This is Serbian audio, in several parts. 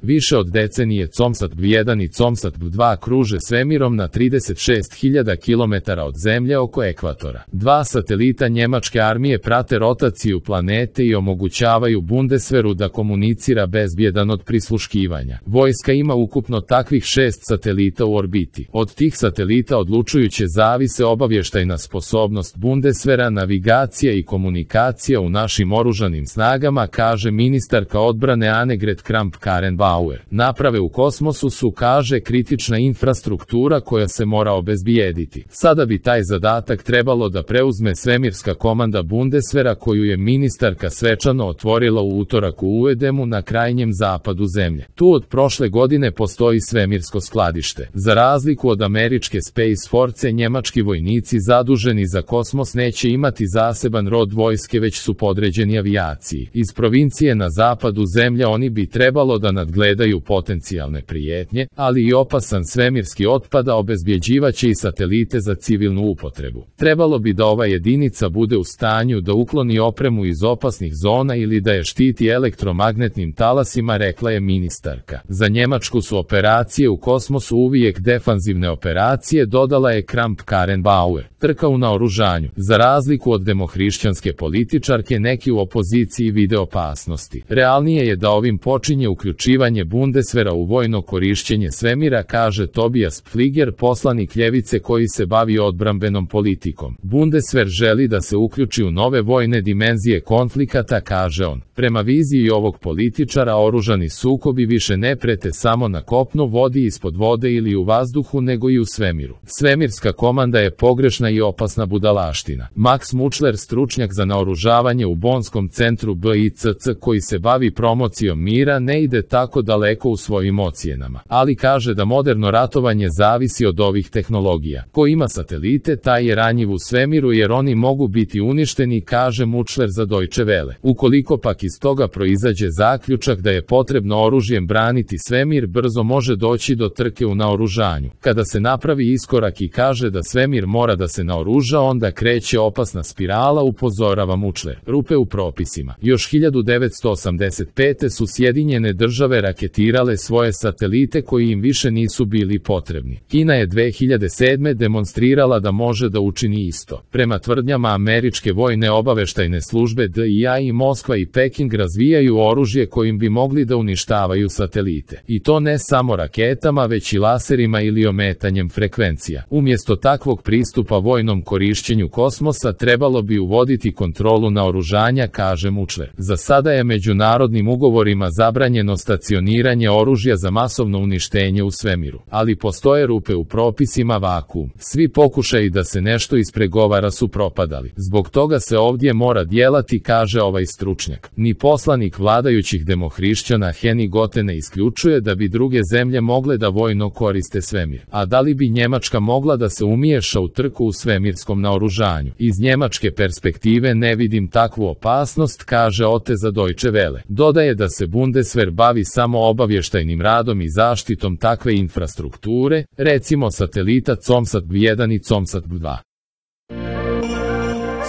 Više od decenije COMSAT-1 i COMSAT-2 kruže svemirom na 36.000 km od Zemlje oko ekvatora. Dva satelita njemačke armije prate rotaciju planete i omogućavaju Bundeswehru da komunicira bezbjedan od prisluškivanja. Vojska ima ukupno takvih 6 satelita u orbiti. Od tih satelita odlučujuće zavise obavještajna sposobnost Bundeswehra, navigacija i komunikacija u našim oružanim snagama, kaže ministarka odbrane Annegret Kramp-Karrenbauer. Naprave u kosmosu su, kaže, kritična infrastruktura koja se mora obezbijediti. Sada bi taj zadatak trebalo da preuzme svemirska komanda Bundeswehra koju je ministarka svečano otvorila u utorak u Uedemu na krajnjem zapadu Zemlje. Tu od prošle godine postoji svemirsko skladište. Za razliku od američke Space Force, njemački vojnici zaduženi za kosmos neće imati zaseban rod vojske, već su podređeni avijaciji. Iz provincije na zapadu Zemlje oni bi trebalo da nadgledaju potencijalne prijetnje, ali i opasan svemirski otpad, a obezbjeđivaće i satelite za civilnu upotrebu. Trebalo bi da ova jedinica bude u stanju da ukloni opremu iz opasnih zona ili da je štiti elektromagnetnim talasima, rekla je ministarka. Za Njemačku su operacije u kosmosu uvijek defanzivne operacije, dodala je Kramp-Karrenbauer. Trka u naoružanju. Za razliku od demohrišćanske političarke, neki u opoziciji vide opasnosti. Realnije je da ovim počinje uključivanje Bundeswehra u vojno korišćenje svemira, kaže Tobias Pfliger, poslanik ljevice koji se bavi odbrambenom politikom. Bundeswehr želi da se uključi u nove vojne dimenzije konflikata, kaže on. Prema viziji ovog političara, oružani sukobi više ne prete samo na kopnu, vodi, ispod vode ili u vazduhu, nego i u svemiru. Svemirska komanda je pogrešna i opasna budalaština. Max Muchler, stručnjak za naoružavanje u Bonskom centru BICC koji se bavi promocijom mira, ne ide tako daleko u svojim ocjenama, ali kaže da moderno ratovanje zavisi od ovih tehnologija. Ko ima satelite, taj je ranjiv u svemiru jer oni mogu biti uništeni, kaže Muchler za Deutsche Welle. Ukoliko pak iz toga proizađe zaključak da je potrebno oružjem braniti svemir, brzo može doći do trke u naoružanju. Kada se napravi iskorak i kaže da svemir mora da se naoruža, onda kreće opasna spirala, upozorava Muchler. Rupe u propisima. Još 1985. su Sjedinjene države raketirale svoje satelite koji im više nisu bili potrebni. Kina je 2007. demonstrirala da može da učini isto. Prema tvrdnjama američke vojne obaveštajne službe DIA i Moskva i Peking razvijaju oružje kojim bi mogli da uništavaju satelite. I to ne samo raketama, već i laserima ili ometanjem frekvencija. Umjesto takvog pristupa vojnom korišćenju kosmosa trebalo bi uvoditi kontrolu naoružanja, kaže Muchler. Za sada je međunarodnim ugovorima zabranjeno stacioniranje oružja za masovno uništenje u svemiru. Ali postoje rupe u propisima, vakuum. Svi pokušaji da se nešto ispregovara su propadali. Zbog toga se ovdje mora djelati, kaže ovaj stručnjak. Ni poslanik vladajućih demohrišćana Henny Gotte ne isključuje da bi druge zemlje mogle da vojno koriste svemir. A da li bi Njemačka mogla da se umiješa u trku u svemirskom naoružanju? Iz njemačke perspektive ne vidim takvu opasnost, kaže Otte za Deutsche Welle. Dodaje da se Bundeswehr bavi samo obavještajnim radom i zaštitom takve infrastrukture, recimo satelita COMSAT-1 i COMSAT-2.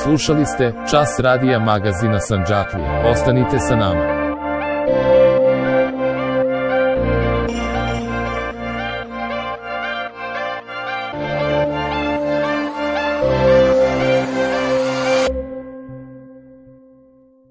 Slušali ste Čas radija magazina Sandžaklija. Ostanite sa nama.